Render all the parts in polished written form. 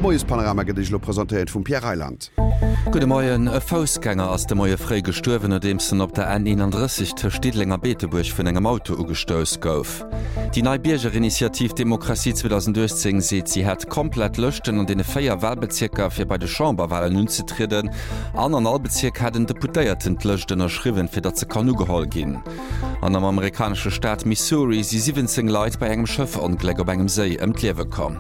Moiespanorama gëtt Iech elo presentéiert vum Pierre Reyland. Gudde Moien. E Foussgänger ass de Moie fréi gestuerwen, nodeems en op der N 31 tëscht Diddeleng a Beetebuerg vun engem Auto ugestouss gouf. Déi nei Biergerinitiativ Demokratie 2018 seet, si hätt komplett Lëschten an deene 4 Walbezierker fir bei de Chamberwalen unzetrieden an an all Bezierk hätt en Deputéierten d'Lëscht ënnerschriwwen, fir datt se kann ugeholl ginn. An am amerikanesche Staat Missouri si 17 Leit bei engem Schëffongléck op engem Séi ëm d'Liewe komm.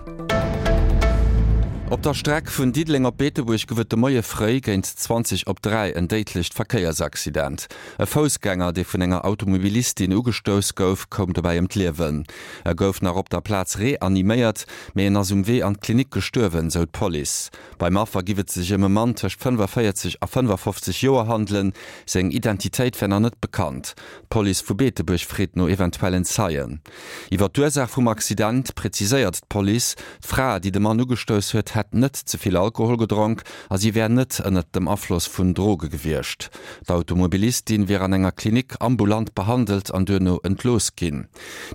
Op der Streck vun Diddeleng op Beetebuerg gouf et de Moie fréi géint 20 op 3 en déidlecht Verkéiersaccident. E Foussgänger, dee vun enger Automobilistin ugestouss gouf, koum dobäi ëm d'Liewen. E gouf nach op der Plaz reaniméiert, mee en ass um Wee an d'Klinik gestuerwen, sou d'Police. Beim Affer giff et sech ëm e Mann tëscht 45 a 55 Joer handelen. Seng Identitéit wär nach net bekannt. D'Police vu Beetebuerg freet no eventuellen Zeien. Iwwer d'Ursaach vum Accident preziséiert d'Police, d'Fra, déi de Mann ugestouss huet, hätt net ze vill Alkohol gedronk a si wär net ënnert dem Afloss vun Droge gewiescht. D'Automobilistin wier an enger Klinik ambulant behandelt an duerno entlooss ginn.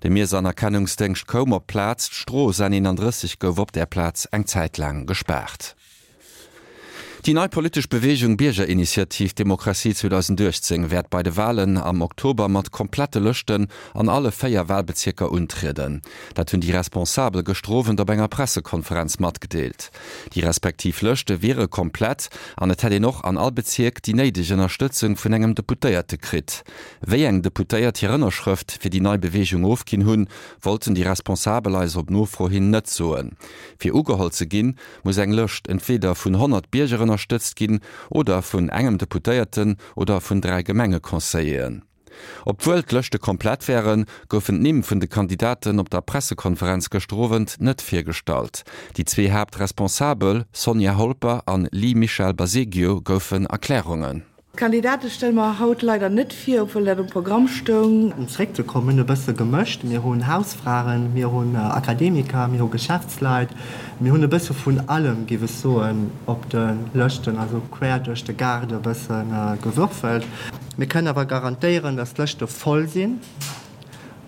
De Miersanerkennungsdéngscht koum op d'Plaz, d'Strooss N 31 gouf op där Plaz eng Zäit laang gespaart. Déi nei politesch Beweegung Biergerinitiativ Demokratie 2018 wäert bei de Walen am Oktober mat komplette Lëschten an alle 4 Walbezierker untrieden. Dat hunn déi Responsabel gëschter Owend op enger Pressekonferenz matgedeelt. Déi respektiv Lëschte wiere komplett an et hätt een och an all Bezierk déi néideg Ënnerstëtzung vun engem Deputéierte kritt. Wéi eng Deputéiert hir Ënnerschrëft fir déi nei Beweegung ofginn hunn, wollten déi Responsabel eis op Nofro hin net soen. Fir ugeholl ze ginn, muss eng Lëscht entweeder vun 100 Bierger ënnerstëtzt ginn oder vun engem Deputéierten oder vun 3 Gemengeconseilleren. Obwuel d'Lëschte komplett wären, goufen d'Nimm vun de Kandidaten op der Pressekonferenz gëschter Owend net virgestallt. Déi zwee Haaptresponsabel, Sonja Holper an Lee Michel Baseggio, goufen Erklärungen. D'Kandidate stelle mer haut leider net vir, obwuel dat um Programm stoung. Om zréckzekommen, mir hunn e bësse gemëscht, mir hunn Hausfraen, mir hunn Akademiker, mir hu Geschäftsleit, mir hunn e bësse vun allem, géif ech soen, op de Lëschten, also quer duerch de Gaart e bësse gewürfelt. Mir kënnen awer garantéieren, datt d'Lëschte voll sinn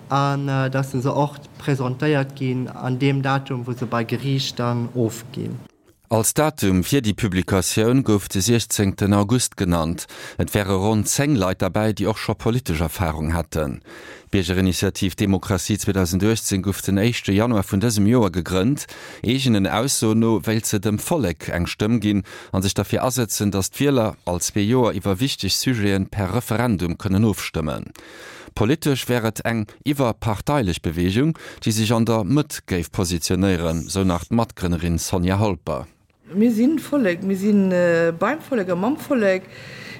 an datt se och presentéiert ginn an deem Datum, wou se bei Geriicht dann ofginn. Als Datum fir déi Publikatioun gouf de 16 August genannt. Et wäre ronn 10 Leit derbäi, déi och scho politesch Erfarung hätten. D'Biergerinitiativ Demokratie 2018 gouf den éischte Januar vun dësem Joer gegrënnt. Eegenen Aussoen no wéilt se dem Vollek eng Stëmm ginn a sech derfir asëtzen, datt d'Wieler all zwee Joer iwwer wichteg Sujete per Referendum kënnen ofstëmmen. Politesch wär et eng iwwerparteilech Beweegung, déi sech an der Mëtt géif positionéieren, sou nach d'Matgrënnerin Sonja Holper. Mir si Vollek, mir si beim Vollek a mam Vollek.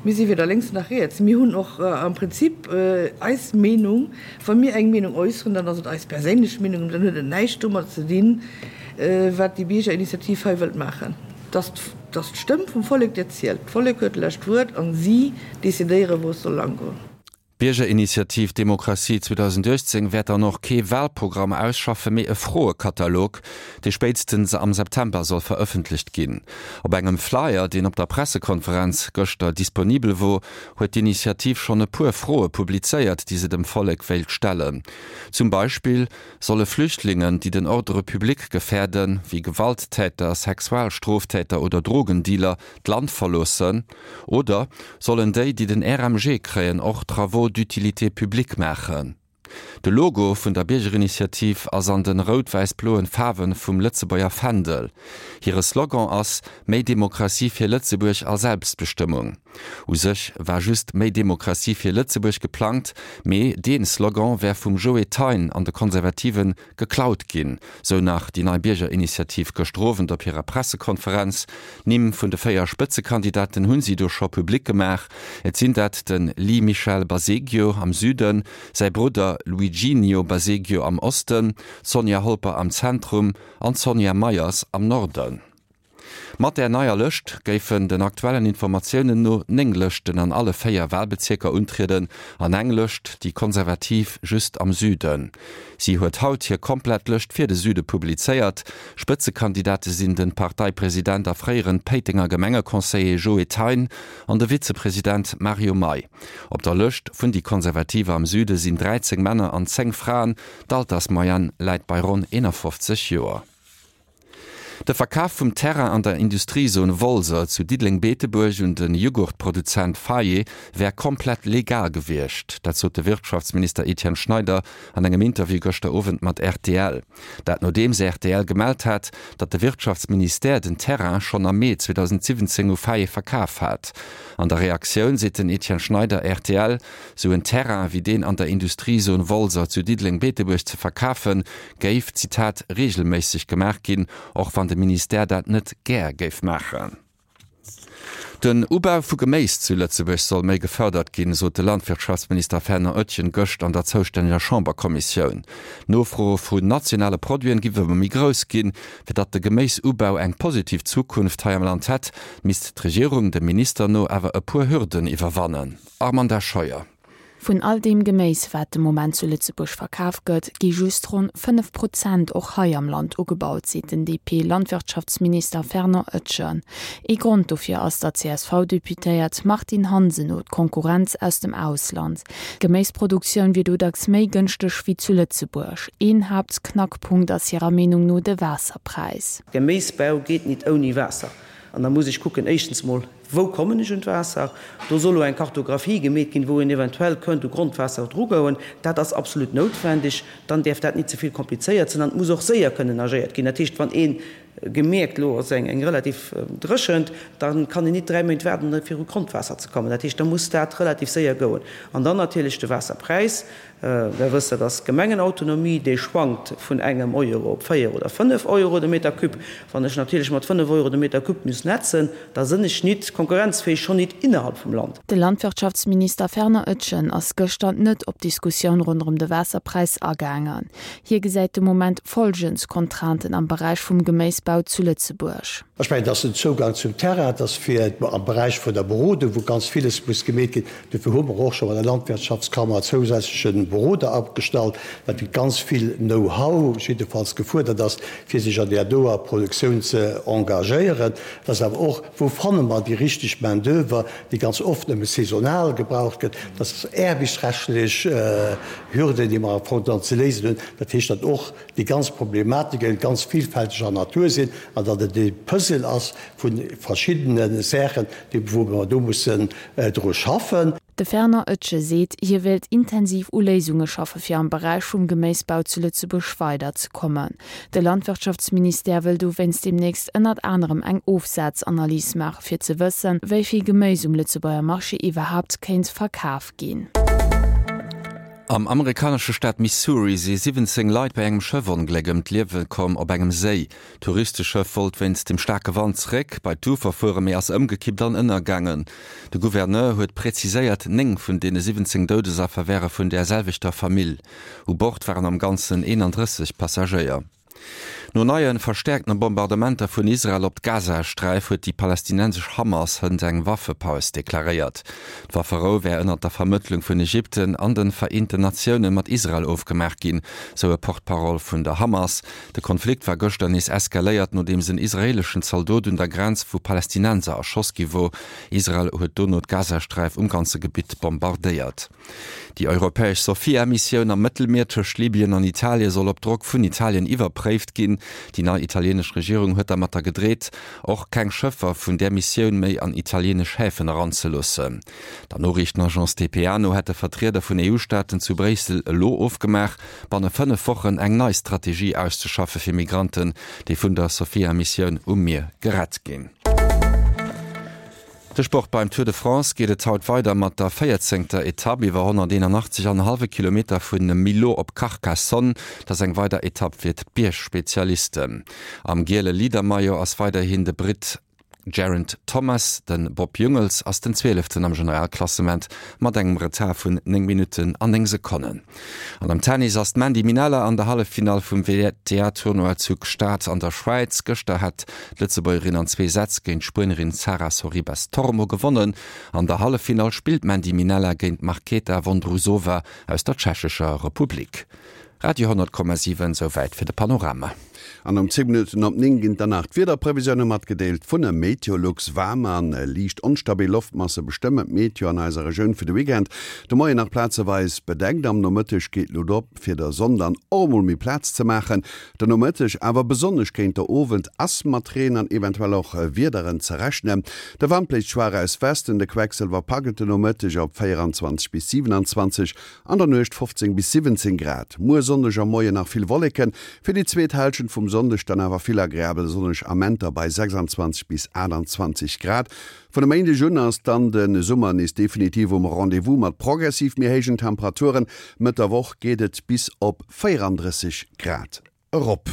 Mir si weder lénks nach riets. Mir hunn och am Prinzip eis Meenung. Wa mir eng Meenung äusseren, dann ass et eis perséinlech Meenung, dann huet et näischt domat ze dinn, wat déi Biergerinitiativ hei wëllt maachen. Et ass d'Stëmm vum Vollek, déi zielt. D'Vollek huet d'lescht Wuert an si decidéieren, wou et soll langgoen. D'Biergerinitiativ Demokratie 2018 wäert dann och kee Walprogramm ausschaffen, mee e Froekatalog, dee spéitstens am September soll verëffentlecht ginn. Op engem Flyer, deen op der Pressekonferenz gëschter disponibel wor, huet d'Initiativ schonn e puer Froe publizéiert, déi se dem Vollek wéilt stellen. Zum Beispill solle Flüchtlingen, déi den Ordre public gefäerden, wéi Gewalttäter, Sexualstroftäter oder Drogendealer, d'Land verloossen? Oder sollen déi, déi den RMG kréien, och Travaux d'utilité publique maachen? De Logo vun der Biergerinitiativ ass an den rout-wäiss-bloen Faarwen vum Lëtzebuerger Fändel. Hire Slogan ass Méi Demokratie fir Lëtzebuerg a Selbstbestëmmung. U sech war just Méi Demokratie fir Lëtzebuerg geplangt, mee deen Slogan wär vum Joe Thein an de Konservativen Geklaut ginn, sou nach déi nei Biergerinitiativ gëschter Owend op hirer Pressekonferenz. D'Nimm vun de 4 Spëtzekandidaten hunn si do scho public gemaach. Et sinn dat de Lee Michel Baseggio am Süden, säi Brudder Luiginio Baseggio am Osten, d'Sonja Holper am Zentrum an d'Sonja Meyers am Norden. Mat där neier Lëscht géifen den aktuellen Informatiounen no 9 Lëschten an alle 4 Walbezierker untrieden an eng Lëscht, déi konservativ, just am Süden. Si huet haut hir komplett Lëscht fir de Süde publizéiert. Spëtzekandidate sinn de Parteipresident a fréieren Péitenger Gemengeconseiller Joe Thein an de Vizepresident Mario May. Op der Lëscht vun déi Konservative am Süde sinn 13 Männer an 10 Fraen, d'Altersmoyenne läit bei ronn 51 Joer. De Verkaf vum Terrain an der Industriezon Wolser zu Diddeleng-Beetebuerg un de Jughurtproduzent Faye wär komplett legal gewiescht. Dat sot de Wirtschaftsminister Etienne Schneider an engem Interview gëschter Owend mat rtl. Dat nodeems rtl gemellt hat, datt de Wirtschaftsministère den Terrain schonn am Mee 2017 u Faye verkaf hat. An der Reaktioun seet den Etienne Schneider rtl, sou en Terrain wéi deen an der Industriezon Wolser zu Diddeleng-Beetebuerg ze verkafen, géif, Zitat, reegelméisseg gemaach ginn, och wann de Ministère dat net gär géif maachen. Den Ubau vu Geméis zu Lëtzebuerg soll méi gefërdert ginn, sot de Landwirtschaftsminister Fernand Oetjen gëscht an der zoustänneger Chamberkommissioun. D'Nofro vun nationale Produiten giff ëmmer méi grouss ginn. Fir datt de Geméisubau eng positiv Zukunft hei am Land hätt, misst d'Regierung dem Minister no awer e puer Hürden iwwerwannen. Armanda Scheuer. Vun all deem Geméis, wat de Moment zu Lëtzebuerg verkaf gëtt, gi just ronn 5 Prozent och hei am Land ugebaut, seet den DP-Landwirtschaftsminister Fernand Oetjen. Ee Grond dofir ass der CSV-Deputéiert Martine Hansen no d'Konkurrenz aus dem Ausland. D'Geméisproduktioun wier do dacks méi gënschteg wéi zu Lëtzebuerg. Een Haaptknackpunkt ass hirer Meenung no de Waasserpräis. Geméisbau geet nit ouni Waasser. An da muss ech kucken, éischtens mol, Wou kommen ech un d'Waasser? Do soll elo eng Kartographie gemeet ginn, wou een eventuell kënnt u Grondwaasser drugouen. Dat ass absolut noutwendeg. Dann däerf dat nit ze vill komplizéiert sinn an et muss och séier kënnen agéiert ginn. Dat heescht, wann ee gemierkt, elo ass eng relativ Dréchent, da kann een nit 3 Méint waarden, fir u Grondwaasser ze kommen. Dat heescht, da muss dat relativ séier gouen. An dann natierlech de Waasserpräis. Der wësst, dat ass d'Gemengenautonomie, déi schwankt vun engem Euro op 4 oder 5 Euro de Meter cube. Wann ech natierlech mat 5 Euro de Meter cube muss netzen, da sënn ech nit konkurrenzfähig, schonn nit innerhalb vum Land. De Landwirtschaftsminister Fernand Oetjen ass gëschter net op d'Diskussioun ronderëm de Waasserpräis agaangen. Hie gesäit de Moment folgend Contrainten am Beräich vum Geméisbau zu Lëtzebuerg. Ech mengen, et ass den Zougang zum Terrain, et ass fir am Beräich vun der Berodung, wou ganz villes muss gemeet ginn. Dofir hu mer och scho bei der Landwirtschaftskammer zousätzleche Beroder agestallt, well do ganz vill Know-how jiddefalls gefuerdert ass, fir sech an där doer Produktioun ze engagéieren. Et ass awer och, Wou fanne mer déi richteg Main d'oeuvre, déi ganz oft nëmme saisonal gebraucht gëtt? Dat ass aarbechtsrechtlech Hürden, déi mer am Fong dann ze léisen hunn. Dat heescht, datt och déi ganz Problematike ganz vielfälteger Natur sinn an datt et e Puzzle ass vu verschiddene Saachen, déi wou mer do mussen dru schaffen. De Fernand Oetsch seet, hie wéilt intensiv u Léisunge schaffe fir am Beräich vum Geméisbau zu Lëtzebuerg weider ze kommen. De Landwirtschaftsministère wëll dowéinst deemnächst ënnert anerem eng Ofsazanalys maache fir ze wëssen, wéi vill Geméis um Lëtzebuerger Marché iwwerhaapt kéint verkaf ginn. Am amerikanesche Staat Missouri si 17 Leit bei engem Schëffongléck ëm d'Liewe komm op engem Séi. D'Touristeschëff wollt wéinst dem staarke Wand zeréck bei d'Ufer fueren, mee ass ëmgekippt an ënnergaangen. De Gouverneur huet präziséiert, 9 vun deene 17 Doudesaffer wäre vun där selwechter Famill. U Bord waren am Ganzen 31 Passagéier. No neie verstäerkte Bombardementer vun Israel op d'Gazasträif huet déi palästinensesch Hamas hënt eng Waffepaus deklaréiert. D'Wafferou wär ënnert der Vermëttlung vun Ägypten an de Vereenten Natioune mat Israel ofgemaach ginn, sou e Porte-parole vun der Hamas. De Konflikt war gëschter nees eskaléiert, nodeems en israeeleschen Zaldot un der Grenz vu Palästinenser erschoss gi wor. Israel huet dono d'Gazasträif um ganze Gebitt bombardéiert. Déi europäesch Sophia-Missioun am Mëttelmier tëscht Libyen an Italie soll op Drock vun Italien iwwerpréift ginn. Déi nei italienesch Regierung huet dermatter gedreet, och keng Schëffer vun där Missioun méi an italienesch Häfen eranzeloossen. Der Noriichtenagence dpa no hätte Vertrieder vun EU-Staaten zu Bréissel elo ofgemaach, banne 5 Wochen eng nei Strategie auszeschaffe fir Migranten, déi vun der Sophia-Missioun um Mier gerett ginn. De Sport, Beim Tour de France geet et haut weider mat der véierzéngter Etapp iwwer 181 an e hallwe Kilometer vu Millau op Carcassonne. Dat ass eng weider Etapp fir d'Biergspezialisten. Am giele Leader-Maillot ass weiderhin de Britt Geraint Thomas. De Bob Jungels ass den Zwieleften am Generalklassement mat engem Retard vun 9 Minutten an 9 Sekonnen. An am Tennis ass d'Mandy Minella an der Halleffinall vum WTA-Tournoi zu Gstaad an der Schwäiz. Gëschter hat d'Lëtzebuergerin an zwee Sätz géint d'Spuenerin Sara Sorribes Tormo gewonnen. An der Halleffinall spillt d'Mandy Minella géint d'Marketa Vondrousova aus der Tschechescher Republik. Radio 10,7, Souwäit fir de Panorama. An um 10 Minutten op 9 ginn dann nach d'Wiederprevisioune matgedeelt vun Meteolux. Waarm a liicht onstabil Loftmasse bestëmmen d'Meteo an eiser Regioun fir de Weekend. De Moien nach plazeweis bedeckt, am Nomëtteg geet d'Luucht op, fir der Sonn dann och emol méi Plaz ze maachen. Den Nomëtteg, awer besonnesch géint der Owend, ass mat Reen an eventuell och Wiederen ze rechnen. De Wand bléist schwaach aus Westen, de Quecksëlwer packt et den Nomëtteg op 24 bis 27, An der Nuecht 15 bis 17 Grad. Muer Sonndeg am Moien nach vill Wolleken, fir déi zweet Hälschent vum Sonndeg dann awer vill agreabel sonneg Amenter bei 26 bis 28 Grad. Vun e Méindeg un ass dann de Summer nees definitiv um Rendez-vous mat progressiv méi héijen Temperaturen. Mëtt der Woch geet et bis op 34 Grad erop.